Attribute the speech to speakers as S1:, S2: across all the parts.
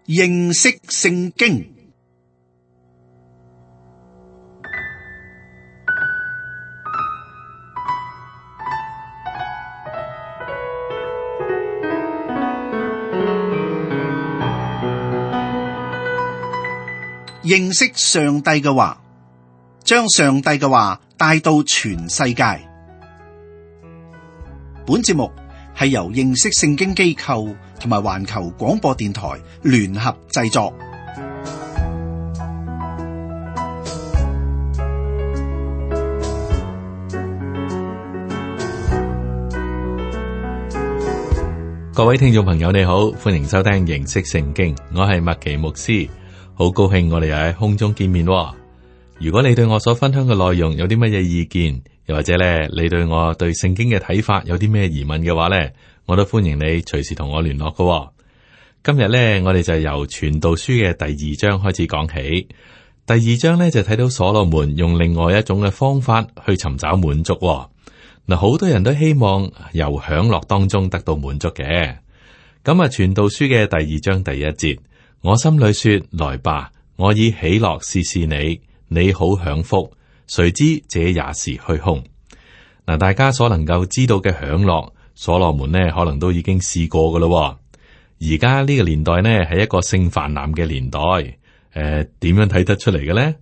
S1: 認識聖經。認識上帝嘅話，將上帝嘅話帶到全世界。本節目係由認識聖經機構同埋環球廣播電台聯合製作。
S2: 各位聽眾朋友你好，歡迎收聽認識聖經，我係麥奇牧師，好高興我哋又喺空中見面。如果你對我所分享嘅內容有啲乜嘢意見，又或者咧你對我對聖經嘅睇法有啲咩疑問嘅話咧，我都歡迎你隨時同我聯絡嘅。今日咧我哋就由傳道書嘅第二章開始講起。第二章咧就睇到所羅門用另外一種嘅方法去尋找滿足。嗱，好多人都希望由享樂當中得到滿足嘅。咁啊，傳道書嘅第二章第一節，我心裏說：來吧，我以喜樂試試你，你好享福。誰知這也是虛空。嗱，大家所能夠知道嘅享樂，所羅門呢可能都已經試過噶咯。而家呢個年代呢係一個性泛濫嘅年代。點樣睇得出嚟嘅呢？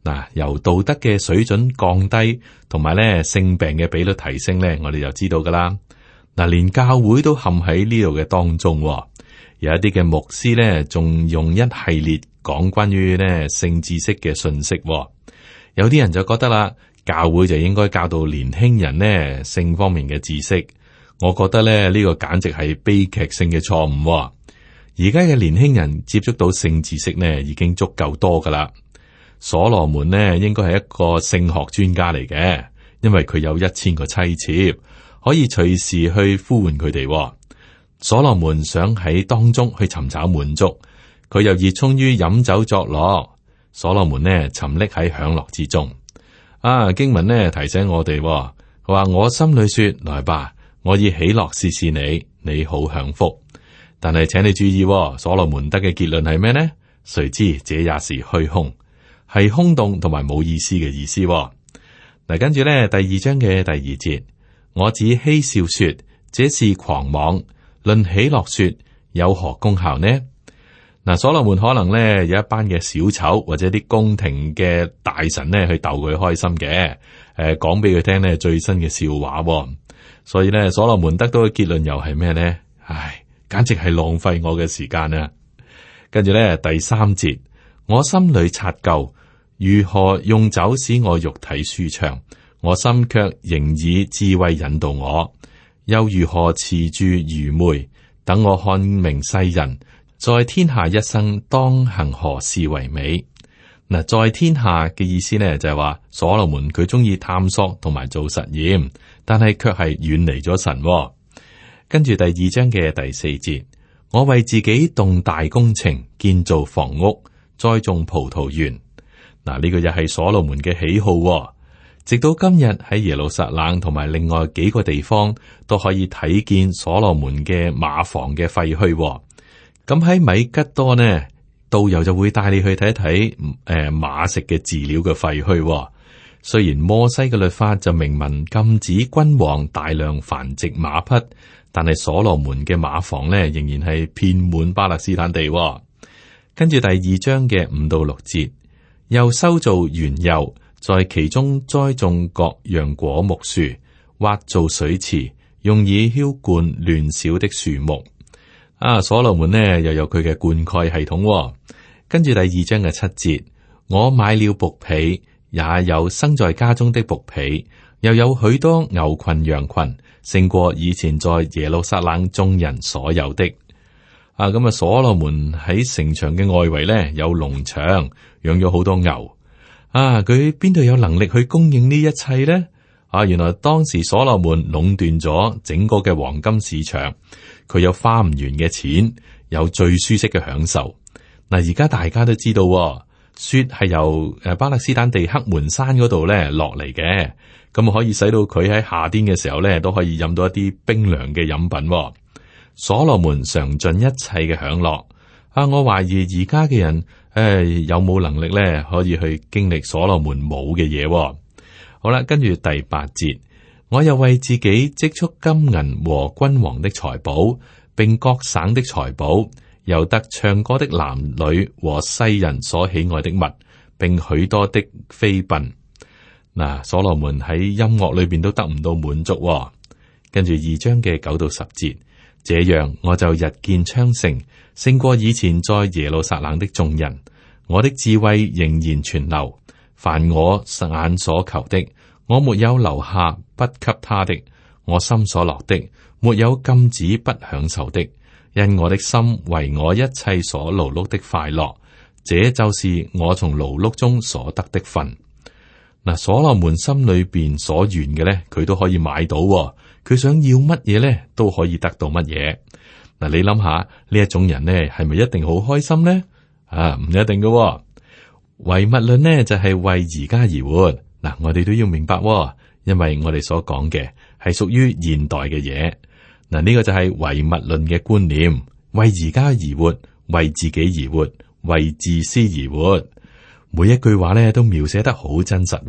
S2: 嗱，由道德嘅水準降低，同埋咧性病嘅比率提升咧，我哋就知道噶啦。嗱，連教會都陷喺呢度嘅當中。有一啲嘅牧師咧，仲用一系列講關於咧性知識嘅信息。有啲人就覺得啦，教會就應該教導年輕人呢性方面嘅知識。我覺得咧呢個簡直係悲劇性嘅錯誤。而家嘅年輕人接觸到性知識呢，已經足夠多噶啦。所羅門呢，應該係一個性學專家嚟嘅，因為佢有1000個妻妾，可以隨時去呼喚佢哋。所羅門想喺當中去尋找滿足，佢又熱衷於飲酒作樂。所羅門呢，沉溺喺享樂之中。經文呢提醒我哋，佢話我心裏說：來吧，我以喜樂試試你，你好享福。但係請你注意，所羅門得嘅結論係咩呢？誰知這也是虛空。係空洞同埋冇意思嘅意思。嗱，跟住咧第二章嘅第二節，我只嬉笑說這是狂妄，論喜樂說有何功效呢？嗱，所羅門可能咧有一班嘅小丑或者啲宮廷嘅大臣咧去逗佢開心嘅，講俾佢聽咧最新嘅笑話。所以咧所羅門得到嘅結論又係咩呢？唉，簡直係浪費我嘅時間啊！跟住咧第三節，我心裏察究。如何用酒使我肉體舒暢，我心卻仍以智慧引導我；又如何持住愚昧，等我看明世人在天下一生當行何事為美。嗱，在天下嘅意思呢，就係話所羅門佢中意探索同埋做實驗，但係卻係遠離咗神。跟住第二章嘅第四節，我為自己動大工程，建造房屋，栽種葡萄園。嗱，呢個又係所羅門嘅喜好。直到今日喺耶路撒冷同埋另外幾個地方都可以睇見所羅門嘅馬房嘅廢墟。咁喺米吉多呢，導遊就會帶你去睇一睇馬食嘅飼料嘅廢墟。雖然摩西嘅律法就明文禁止君王大量繁殖馬匹，但係所羅門嘅馬房呢，仍然係遍滿巴勒斯坦地。跟住第二章嘅5到6節。又修造園囿，在其中栽種各樣果木樹，挖造水池，用以澆灌亂小的樹木。所羅門呢又有佢嘅灌溉系統。跟住第二章嘅7節，我買了僕婢，也有生在家中的僕婢，又有許多牛群羊群，勝過以前在耶路撒冷眾人所有的。咁所羅門喺城牆嘅外圍咧有農場，養咗好多牛。佢邊度有能力去供應呢一切呢？原來當時所羅門壟斷咗整個嘅黃金市場，佢有花唔完嘅錢，有最舒適嘅享受。嗱，而家大家都知道，雪係由巴勒斯坦地黑門山嗰度咧落嚟嘅，咁可以使到佢喺夏天嘅時候咧都可以飲到一啲冰涼嘅飲品。所羅門嘗盡一切嘅享樂，我懷疑而家嘅人有冇能力咧可以去經歷所羅門冇嘅嘢。好啦，跟住第8節，我又為自己積蓄金銀和君王的財寶，並各省的財寶，又得唱歌的男女和世人所喜愛的物，並許多的妃嬪。嗱，所羅門喺音樂裏邊都得唔到滿足。跟住2章嘅9到10節，這樣我就日見昌盛，勝過以前在耶路撒冷的眾人。我的智慧仍然存留，凡我眼所求的，我沒有留下不給他的；我心所樂的，沒有禁止不享受的。因我的心為我一切所勞碌的快樂，這就是我從勞碌中所得的份。嗱，所羅門心裏邊所願嘅咧，佢都可以買到。佢想要乜嘢咧，都可以得到乜嘢。嗱，你諗下呢一種人咧，係咪一定好開心咧？唔一定嘅。唯物論呢，就係為而家而活。嗱，我哋都要明白，因為我哋所講嘅係屬於現代嘅嘢。嗱，呢個就係唯物論嘅觀念，為而家而活，為自己而活，為自私而活。每一句話咧都描寫得好真實。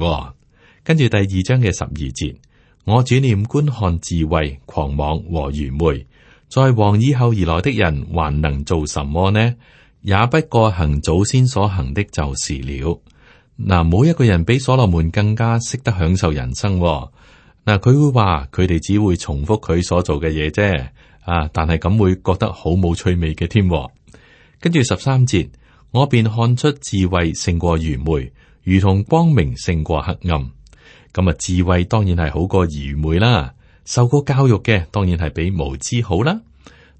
S2: 跟住第2章嘅12節，我轉念觀看智慧、狂妄和愚昧，在王以後而來的人還能做什麼呢？也不過行祖先所行的就是了。嗱，冇一個人比所羅門更加識得享受人生。嗱，佢會話佢哋只會重複佢所做嘅嘢啫。但係咁會覺得好冇趣味嘅添。跟住13節，我便看出智慧勝過愚昧，如同光明勝過黑暗。咁啊，智慧當然係好過愚昧啦。受過教育嘅當然係比無知好啦。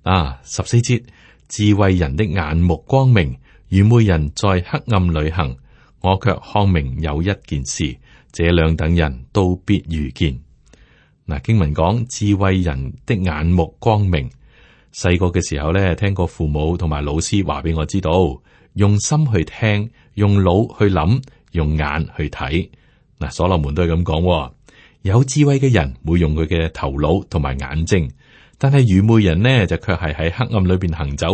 S2: 14節，智慧人的眼目光明，愚昧人在黑暗裏行。我卻看明有一件事，這兩等人都必遇見。嗱，經文講智慧人的眼目光明。細個嘅時候咧，聽過父母同埋老師話俾我知道，用心去聽，用腦去諗，用眼去睇。嗱，所羅門都係咁講，有智慧嘅人會用佢嘅頭腦同埋眼睛，但係愚昧人呢就卻係喺黑暗裏邊行走。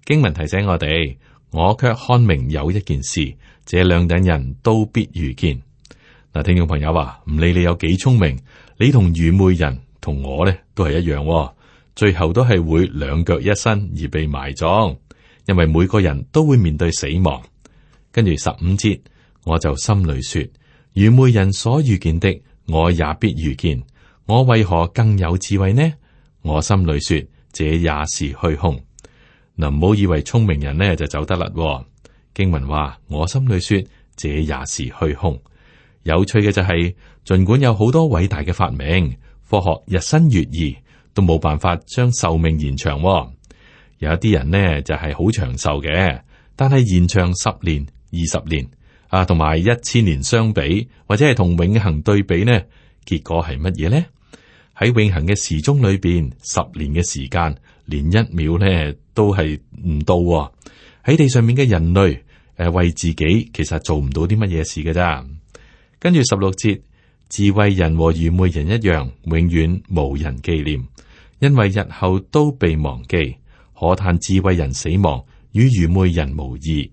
S2: 經文提醒我哋，我卻看明有一件事，這兩等人都必遇見。嗱，聽眾朋友話，唔理你有幾聰明，你同愚昧人同我呢都係一樣，最後都係會兩腳一伸而被埋葬，因為每個人都會面對死亡。跟住15節，我就心裏說，愚昧人所遇見的，我也必遇見。我為何更有智慧呢？我心裏說，這也是虛空。嗱，唔好以為聰明人呢就走得甩。經文話，我心裏說，這也是虛空。有趣嘅就係，盡管有好多偉大嘅發明，科學日新月異，都冇辦法將壽命延長。有一啲人呢就係好長壽嘅，但係延長10年、20年同埋1000年相比，或者係同永恒對比呢，結果係乜嘢呢？喺永恒嘅時鐘裏邊，10年嘅時間連1秒呢都係唔到。喺地上面嘅人類為自己其實做唔到啲乜嘢事嘅咋。跟住16節，智慧人和愚昧人一樣，永遠無人紀念，因為日後都被忘記。可嘆智慧人死亡，與愚昧人無異。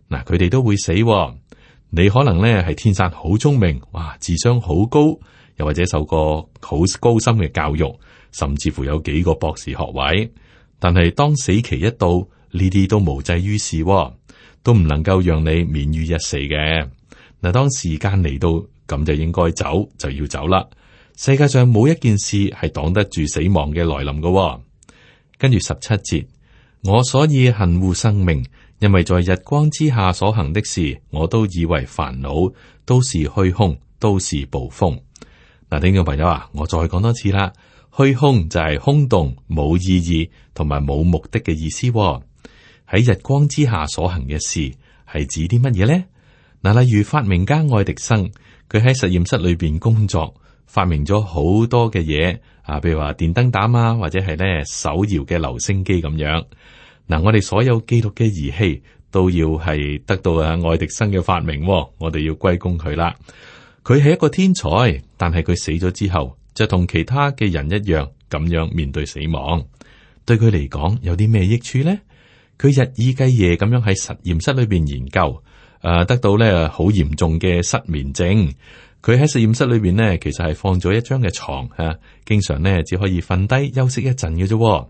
S2: 嗱，佢哋都會死。你可能咧係天生好聰明，哇，智商好高，又或者受過好高深嘅教育，甚至乎有幾個博士學位。但係當死期一到，呢啲都無濟於事，都唔能夠讓你免於一死嘅。嗱，當時間嚟到，咁就應該走，就要走啦。世界上冇一件事係擋得住死亡嘅來臨嘅。跟住17節，我所以恨惡生命，因為在日光之下所行的事，我都以為煩惱，都是虛空，都是捕風。嗱，聽眾朋友啊，我再講多次啦，虛空就係空洞、冇意義同埋冇目的嘅意思。喺日光之下所行嘅事係指啲乜嘢咧？嗱，例如發明家愛迪生，佢喺實驗室裏邊工作，發明咗好多嘅嘢譬如話電燈膽啊，或者係咧手搖嘅留聲機咁樣。嗱，我哋所有記錄嘅儀器都要係得到愛迪生嘅發明，我哋要歸功佢啦。佢係一個天才，但係佢死咗之後，就同其他嘅人一樣咁樣面對死亡。對佢嚟講有啲咩益處咧？佢日以繼夜咁樣喺實驗室裏邊研究，得到咧好嚴重嘅失眠症。佢喺實驗室裏邊呢，其實係放咗一張嘅床吓，經常呢只可以瞓低休息一陣嘅啫。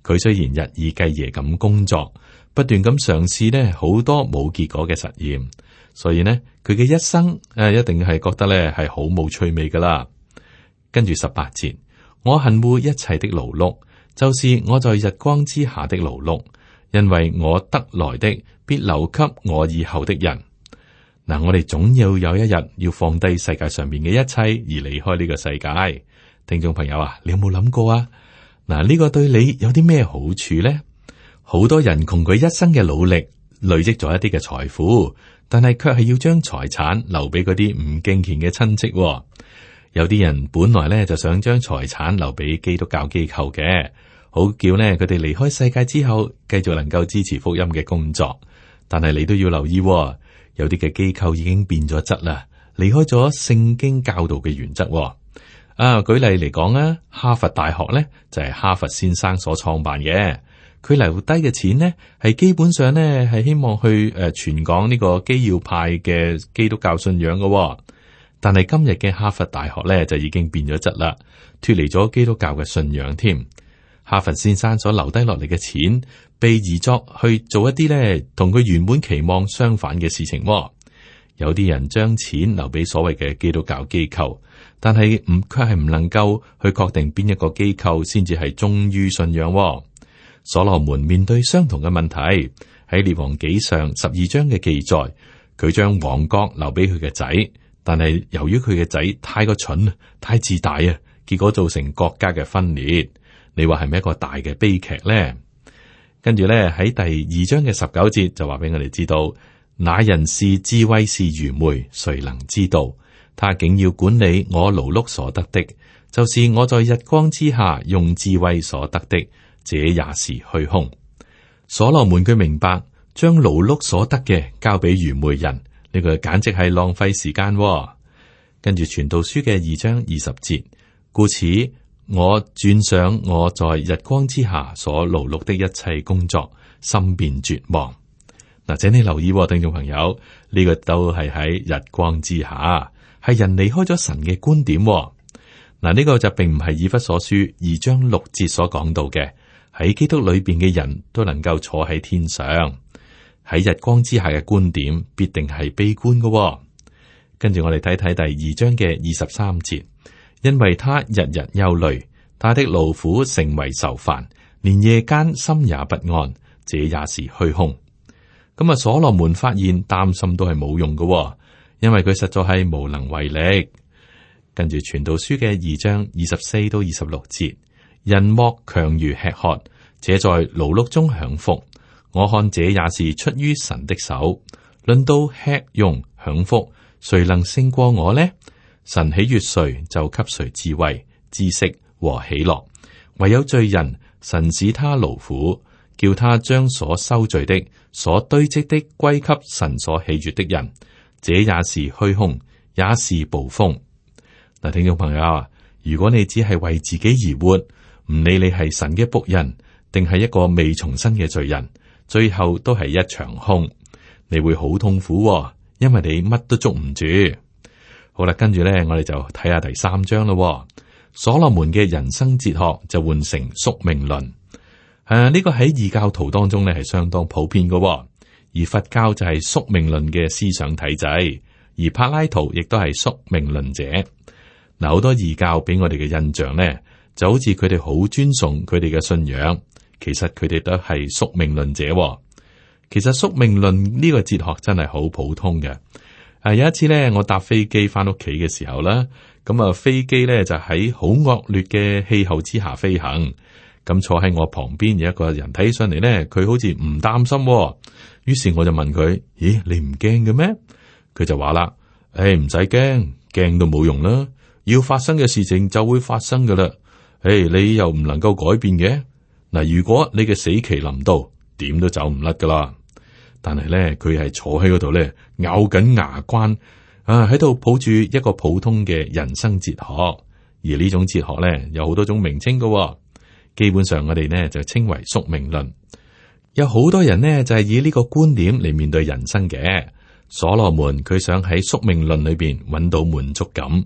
S2: 佢雖然日以繼夜咁工作，不斷咁嘗試呢好多冇結果嘅實驗，所以呢，佢嘅一生一定係覺得咧係好冇趣味噶啦。跟住18節，我恨惡一切的勞碌，就是我在日光之下的勞碌，因為我得來的必留給我以後的人。嗱，我哋總要有一日要放低世界上面嘅一切而離開呢個世界。聽眾朋友啊，你有冇諗過啊？嗱，呢個對你有啲咩好處呢？好多人窮佢一生嘅努力累積咗一啲嘅財富，但係卻係要將財產留俾嗰啲唔敬虔嘅親戚。有啲人本來咧就想將財產留俾基督教機構嘅，好叫呢佢哋離開世界之後繼續能夠支持福音嘅工作。但係你都要留意，有啲嘅機構已經變咗質啦，離開咗聖經教導嘅原則。舉例嚟講啊，哈佛大學咧就係哈佛先生所創辦嘅，佢留低嘅錢呢係基本上呢係希望去傳講呢個基要派嘅基督教信仰嘅。但係今日嘅哈佛大學咧就已經變咗質啦，脫離咗基督教嘅信仰添。哈佛先生所留低落嚟嘅錢，被移作去做一啲咧同佢原本期望相反嘅事情。有啲人將錢留俾所謂嘅基督教機構，但係卻係唔能夠去確定邊一個機構先至係忠於信仰。所羅門面對相同嘅問題，喺列王紀上12章嘅記載，佢將王國留俾佢嘅仔，但係由於佢嘅仔太過蠢、太自大啊，結果造成國家嘅分裂。你話係咪一個大嘅悲劇呢？跟住咧喺第2章嘅19節就話俾我哋知道，那人是智慧是愚昧，誰能知道？他竟要管理我勞碌所得的，就是我在日光之下用智慧所得的，這也是虛空。所羅門佢明白，將勞碌所得嘅交俾愚昧人，呢個簡直係浪費時間。跟住傳道書嘅2章20節，故此我轉想我在日光之下所勞碌的一切工作，心便絕望。嗱，請你留意，聽眾朋友，呢個都係喺日光之下，係人離開咗神嘅觀點。嗱，呢個就並唔係以弗所書2章6節所講到嘅，喺基督裏邊嘅人都能夠坐喺天上。喺日光之下嘅觀點必定係悲觀嘅。跟住我哋睇睇第2章嘅23節。因為他日日憂慮，他的勞苦成為愁煩，連夜間心也不安，這也是虛空。咁啊，所羅門發現擔心都係冇用嘅，因為佢實在係無能為力。跟住傳道書嘅2章24到26節，人莫強如吃喝，且在勞碌中享福。我看這也是出於神的手。論到吃用享福，誰能勝過我呢？神喜悅誰，就給誰智慧、知識和喜樂。唯有罪人，神使他勞苦，叫他將所收聚的、所堆積的歸給神所喜悅的人。這也是虛空，也是暴風。嗱，聽眾朋友啊，如果你只係為自己而活，唔理你係神嘅僕人，定係一個未重生嘅罪人，最後都係一場空。你會好痛苦，因為你乜都捉唔住。好啦，跟住咧，我哋就睇下第3章咯。所羅門嘅人生哲學就換成宿命論。呢個喺異教徒當中咧係相當普遍嘅，而佛教就係宿命論嘅思想體制，而柏拉圖亦都係宿命論者。嗱，好多異教俾我哋嘅印象咧，就好似佢哋好尊崇佢哋嘅信仰，其實佢哋都係宿命論者。其實宿命論呢個哲學真係好普通嘅。有一次咧，我搭飛機翻屋企嘅時候啦，咁啊飛機咧就喺好惡劣嘅氣候之下飛行，咁坐喺我旁邊有一個人睇起上嚟咧，佢好似唔擔心，於是我就問佢：咦，你唔驚嘅咩？佢就話啦：唔使驚，驚都冇用啦，要發生嘅事情就會發生噶啦，你又唔能夠改變嘅。嗱，如果你嘅死期臨到，點都走唔甩噶啦。但係咧，佢係坐喺嗰度咧，咬緊牙關喺度抱住一個普通嘅人生哲學。而呢種哲學咧，有好多種名稱噶。基本上我哋呢就稱為宿命論。有好多人呢，就係以呢個觀點嚟面對人生嘅。所羅門佢想喺宿命論裏邊揾到滿足感。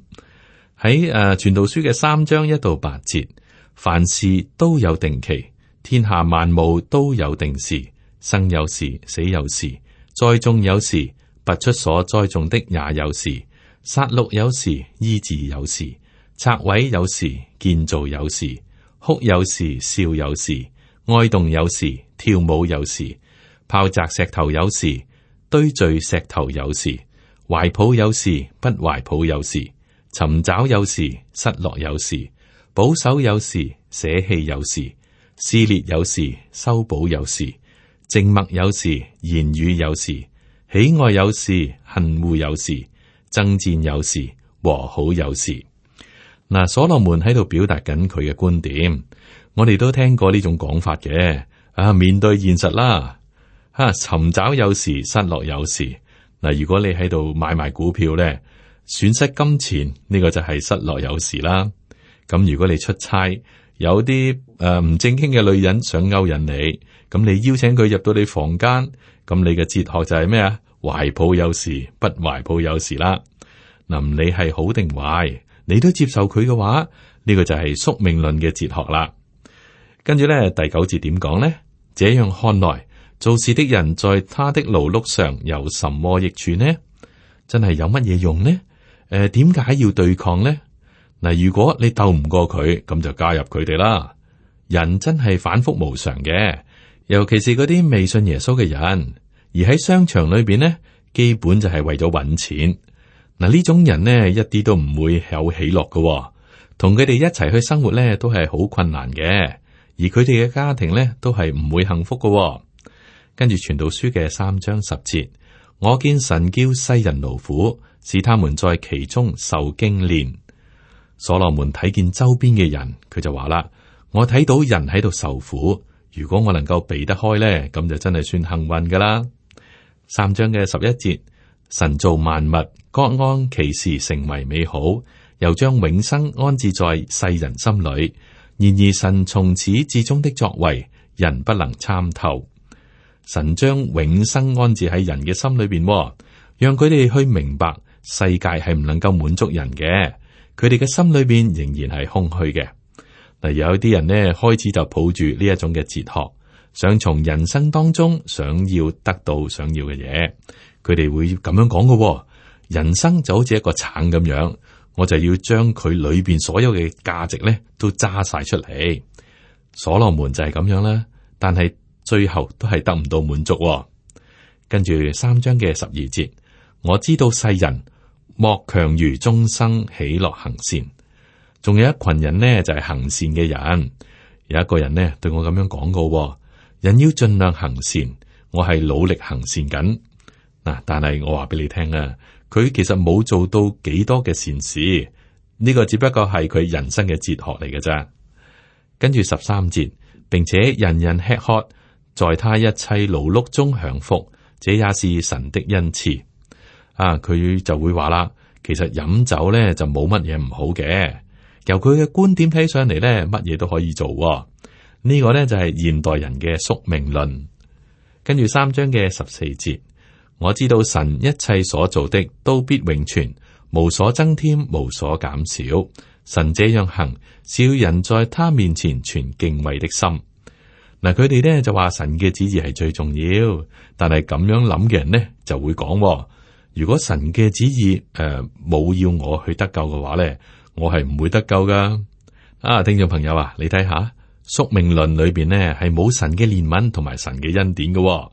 S2: 喺傳道書嘅3章1到8節，凡事都有定期，天下萬物都有定時，生有時，死有時，栽種有時，拔出所栽種的也有時，殺戮有時，醫治有時，拆毀有時，建造有時，哭有時，笑有時，哀慟有時，跳舞有時，拋擲石頭有時，堆聚石頭有時，懷抱有時，不懷抱有時，尋找有時，失落有時，保守有時，捨棄有時，撕裂有時，修補有時，靜默有時，言語有時，喜愛有時，恨惡有時，爭戰有時，和好有時。嗱，所羅門喺度表達緊佢嘅觀點，我哋都聽過呢種講法嘅。面對現實啦，尋找有時，失落有時。嗱，如果你喺度買賣股票咧，損失金錢呢個就係失落有時啦。咁如果你出差，有啲唔正經嘅女人想勾引你，咁你邀請佢入到你房間，咁你嘅哲學就係咩啊？懷抱有時，不懷抱有時啦。嗱，唔理係好定壞，你都接受佢嘅話，呢個就係宿命論嘅哲學啦。跟住咧，第9節點講呢？這樣看來，做事的人在他的勞碌上有什麼益處呢？真係有乜嘢用呢？點解要對抗呢？嗱，如果你鬥唔過佢，咁就加入佢哋啦。人真係反覆無常嘅，尤其是嗰啲未信耶穌嘅人，而喺商場裏邊呢，基本就係為咗搵錢。嗱，呢種人呢，一啲都唔會有喜樂嘅，同佢哋一齊去生活呢，都係好困難嘅。而佢哋嘅家庭咧，都係唔會幸福嘅。跟住傳道書嘅3章10節，我見神叫世人勞苦，使他們在其中受經練。所羅門睇見周邊嘅人，佢就話啦：我睇到人喺度受苦，如果我能夠避得開咧，咁就真係算幸運噶啦。3章嘅11節，神造萬物，各按其時成為美好，又將永生安置在世人心裏。然而神從始至終的作為，人不能參透。神將永生安置喺人嘅心裏邊，讓佢哋去明白世界係唔能夠滿足人嘅，佢哋嘅心裏邊仍然係空虛嘅。嗱，有啲人呢，開始就抱住呢一種嘅哲學，想從人生當中想要得到想要嘅嘢，佢哋會咁樣講嘅。人生就好似一個橙咁樣。我就要將佢裏邊所有嘅價值咧都揸晒出嚟。所羅門就係咁樣啦，但係最後都係得唔到滿足。跟住3章嘅12節，我知道世人莫強如終生喜樂行善。仲有一群人呢，就係行善嘅人。有一個人呢，對我咁樣講過，人要盡量行善，我係努力行善緊嗱。但係我話俾你聽啊。佢其實冇做到幾多嘅善事，呢個只不過係佢人生嘅哲學嚟嘅咋。跟住13節，並且人人吃喝，在他一切勞碌中享福，這也是神的恩賜。佢就會話啦，其實飲酒咧就冇乜嘢唔好嘅。由佢嘅觀點睇上嚟咧，乜嘢都可以做。呢個咧就係現代人嘅宿命論。跟住3章嘅14節。我知道神一切所做的都必永存，無所增添，無所減少。神這樣行，是要人在他面前存敬畏的心。嗱，佢哋咧就話神嘅旨意係最重要，但係咁樣諗嘅人呢就會講，如果神嘅旨意冇要我去得救嘅話咧，我係唔會得救噶。聽眾朋友啊，你睇下宿命論裏邊呢係冇神嘅憐憫同埋神嘅恩典嘅。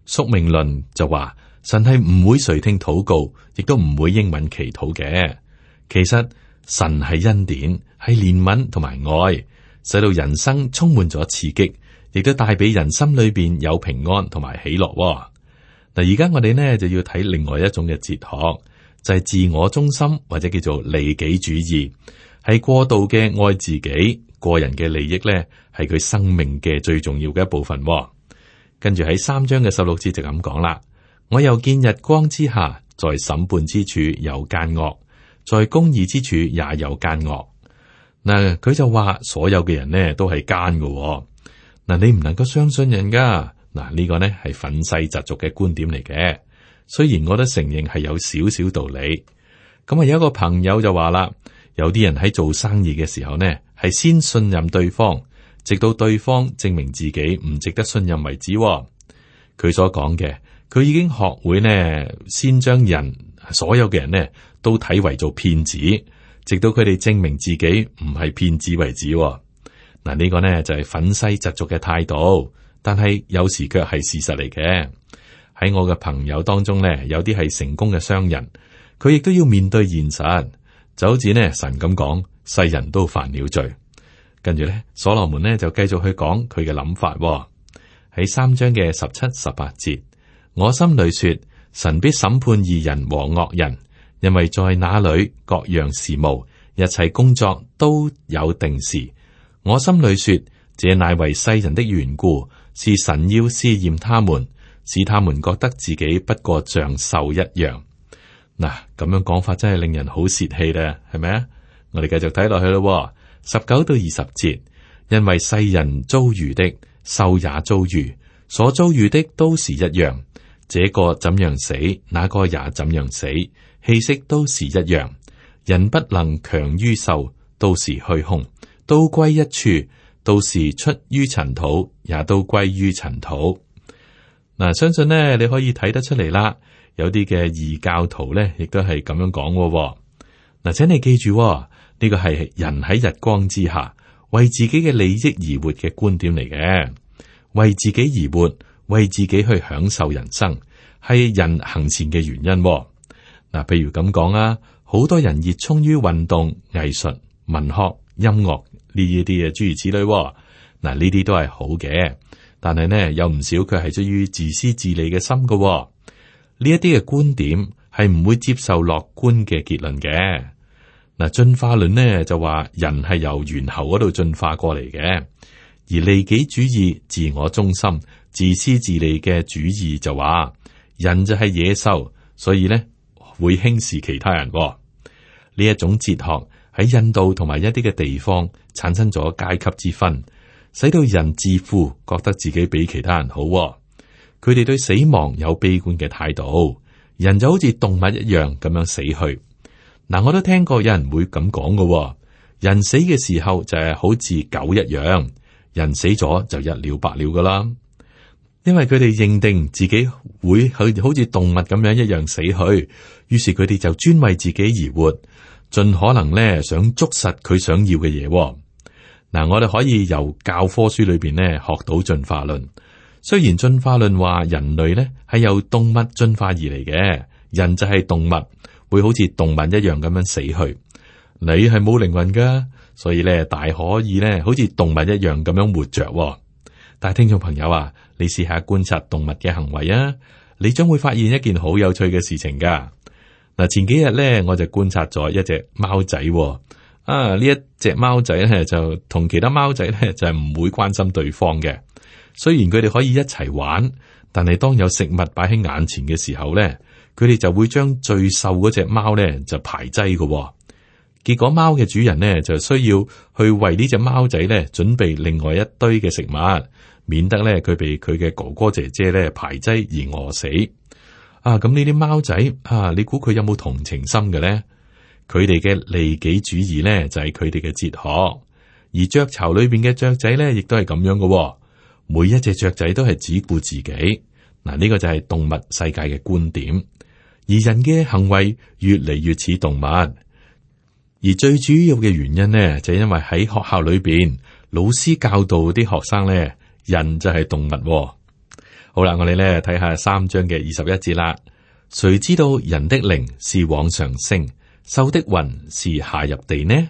S2: 宿命論就話神係唔會垂聽禱告，亦都唔會應允祈禱嘅。其實神係恩典，係憐憫同埋愛，使到人生充滿咗刺激，亦都帶俾人心裏邊有平安同埋喜樂。嗱，而家我哋呢就要睇另外一種嘅哲學，就係自我中心或者叫做利己主義，係過度嘅愛自己，個人嘅利益呢係佢生命嘅最重要嘅一部分。跟住喺3章嘅16節就咁講啦，我又見日光之下，在審判之處有奸惡，在公義之處也有奸惡。佢就話所有嘅人呢都係奸嘅。你唔能夠相信人噶，嗱，呢個呢係憤世嫉俗嘅觀點嚟嘅。雖然我都承認係有少少道理。咁啊，有一個朋友就話啦，有啲人喺做生意嘅時候呢，係先信任對方，直到對方證明自己唔值得信任為止。佢所講嘅，佢已經學會呢，先將所有嘅人呢都睇為做騙子，直到佢哋證明自己唔係騙子為止。嗱，呢個呢就係憤世嫉俗嘅態度，但係有時卻係事實嚟嘅。喺我嘅朋友當中呢，有啲係成功嘅商人。佢亦都要面對現實，就好似呢神咁講，世人都犯了罪。跟住呢，所羅門呢就繼續去講佢嘅諗法。喺3章嘅17、18節，我心裏說，神必審判義人和惡人，因為在那裏各樣事務，一切工作都有定時。我心裏說，這乃為世人的緣故，是神要試驗他們，使他們覺得自己不過像獸一樣。嗱，咁樣講法真係令人好泄氣啦，係咪啊？我哋繼續睇落去咯，19到20節，因為世人遭遇的，獸也遭遇，所遭遇的都是一樣。這個怎樣死，那個也怎樣死，氣息都是一樣。人不能強於獸，都是虛空，都歸一處，都是出於塵土，也都歸於塵土。嗱，相信呢，你可以睇得出嚟啦。有啲嘅異教徒咧，亦都係咁樣講嘅。嗱，請你記住，呢個係人喺日光之下為自己嘅利益而活嘅觀點嚟嘅，為自己而活，為自己去享受人生，係人行善嘅原因。嗱，譬如咁講啊，好多人熱衷於運動、藝術、文學、音樂呢一啲嘅諸如此類。嗱，呢啲都係好嘅，但係呢，有唔少佢係出於自私自利嘅心嘅。呢一啲嘅觀點係唔會接受樂觀嘅結論嘅。嗱，進化論呢就話人係由猿猴嗰度進化過嚟嘅，而利己主義、自我中心、自私自利嘅主義就話人就係野獸，所以呢會輕視其他人。呢一種哲學喺印度同埋一啲嘅地方產生咗階級之分，使到人自負，覺得自己比其他人好。佢哋對死亡有悲觀嘅態度，人就好似動物一樣咁樣死去。嗱，我都聽過有人會咁講嘅，人死嘅時候就係好似狗一樣，人死咗就一了百了噶啦。因為佢哋認定自己會去好似動物咁樣一樣死去，於是佢哋就專為自己而活，盡可能咧想捉實佢想要嘅嘢。嗱，我哋可以由教科書裏邊咧學到進化論。雖然進化論話人類咧係由動物進化而嚟嘅，人就係動物，會好似動物一樣咁樣死去。你係冇靈魂噶，所以咧大可以咧好似動物一樣咁樣活着。但係聽眾朋友啊，你試下觀察動物嘅行為啊，你將會發現一件好有趣嘅事情噶。嗱，前幾日咧我就觀察咗一隻貓仔，呢一隻貓仔咧就同其他貓仔咧就係唔會關心對方嘅。雖然佢哋可以一齊玩，但係當有食物擺喺眼前嘅時候咧，佢哋就會將最瘦嗰隻貓咧就排擠嘅。結果貓嘅主人呢就需要去為呢隻貓仔咧準備另外一堆嘅食物，免得咧佢被佢嘅哥哥姐姐咧排擠而餓死。咁呢啲貓仔你估佢有冇同情心嘅咧？佢哋嘅利己主義咧就係佢哋嘅哲學，而雀巢裏邊嘅雀仔咧亦都係咁樣嘅。每一隻雀仔都係只顧自己。嗱，呢個就係動物世界嘅觀點，而人嘅行為越嚟越似動物。而最主要嘅原因呢，就係因為喺學校裏邊，老師教導啲學生咧，人就係動物。好啦，我哋咧睇下3章嘅21節啦。誰知道人的靈是往上升，獸的魂是下入地呢？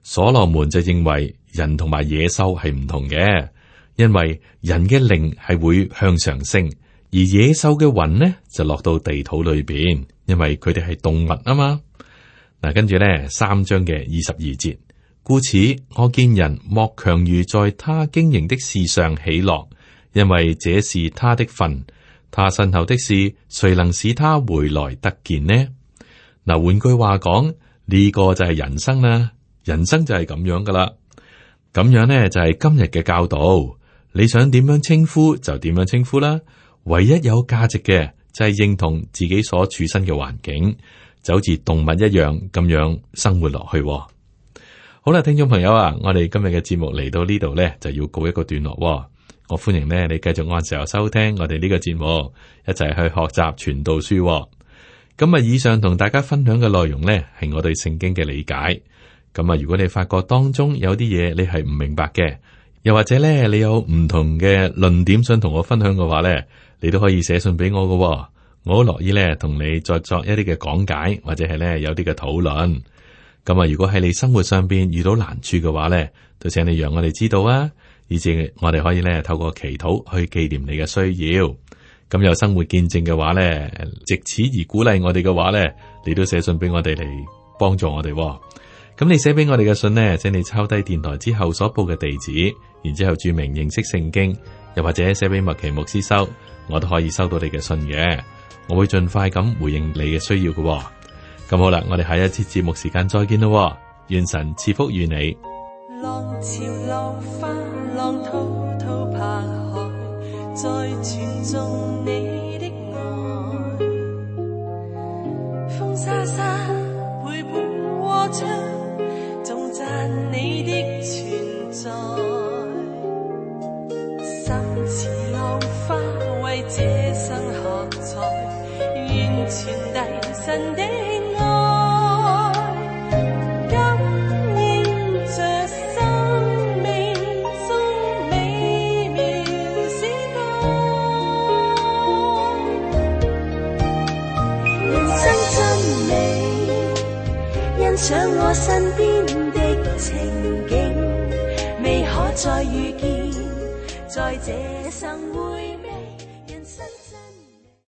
S2: 所羅門就認為人同埋野獸係唔同嘅。因為人嘅靈係會向上升，而野獸嘅魂呢就落到地土裏邊，因為佢哋係動物啊嘛。嗱，跟住咧3章嘅22節，故此我見人莫強如在他經營的事上喜樂，因為這是他的份。他身後的事，誰能使他回來得見呢？嗱，換句話講，呢個就係人生啦，人生就係咁樣噶啦。咁樣呢就係今日嘅教導。你想點樣稱呼就點樣稱呼啦。唯一有價值嘅就係認同自己所處身嘅環境，就好似動物一樣咁樣生活落去。好啦，聽眾朋友啊，我哋今日嘅節目嚟到呢度呢，就要告一個段落。我歡迎呢你繼續按時候收聽我哋呢個節目，一齊去學習傳道書。咁啊，以上同大家分享嘅內容呢，係我對聖經嘅理解。咁啊，如果你發覺當中有啲嘢你係唔明白嘅，又或者呢你有唔同嘅論點想同我分享嘅話呢，你都可以寫信俾我嘅。我好樂意呢同你再作一啲嘅講解，或者係呢有啲嘅討論。咁啊，如果喺你生活上邊遇到難處嘅話呢，都請你讓我哋知道啊，以至我哋可以呢透過祈禱去紀念你嘅需要。咁有生活見證嘅話呢，藉此而鼓勵我哋嘅話呢，你都寫信俾我哋嚟幫助我哋。咁你寫俾我哋嘅信呢，請你抄低電台之後所報嘅地址，然之後注明認識聖經，又或者寫俾麥奇牧師收，我都可以收到你嘅信嘅。我會盡快咁回應你嘅需要嘅。咁好啦，我哋下一次節目時間再見咯。願神賜福與你。
S3: 浪潮浪花浪滔滔拍海，再傳頌你的愛，風沙沙陪伴和唱，頌讚你的存在。心似浪花為這生喝彩，願傳遞神的想我身邊的情景，未可再遇見，在這生回味人生真。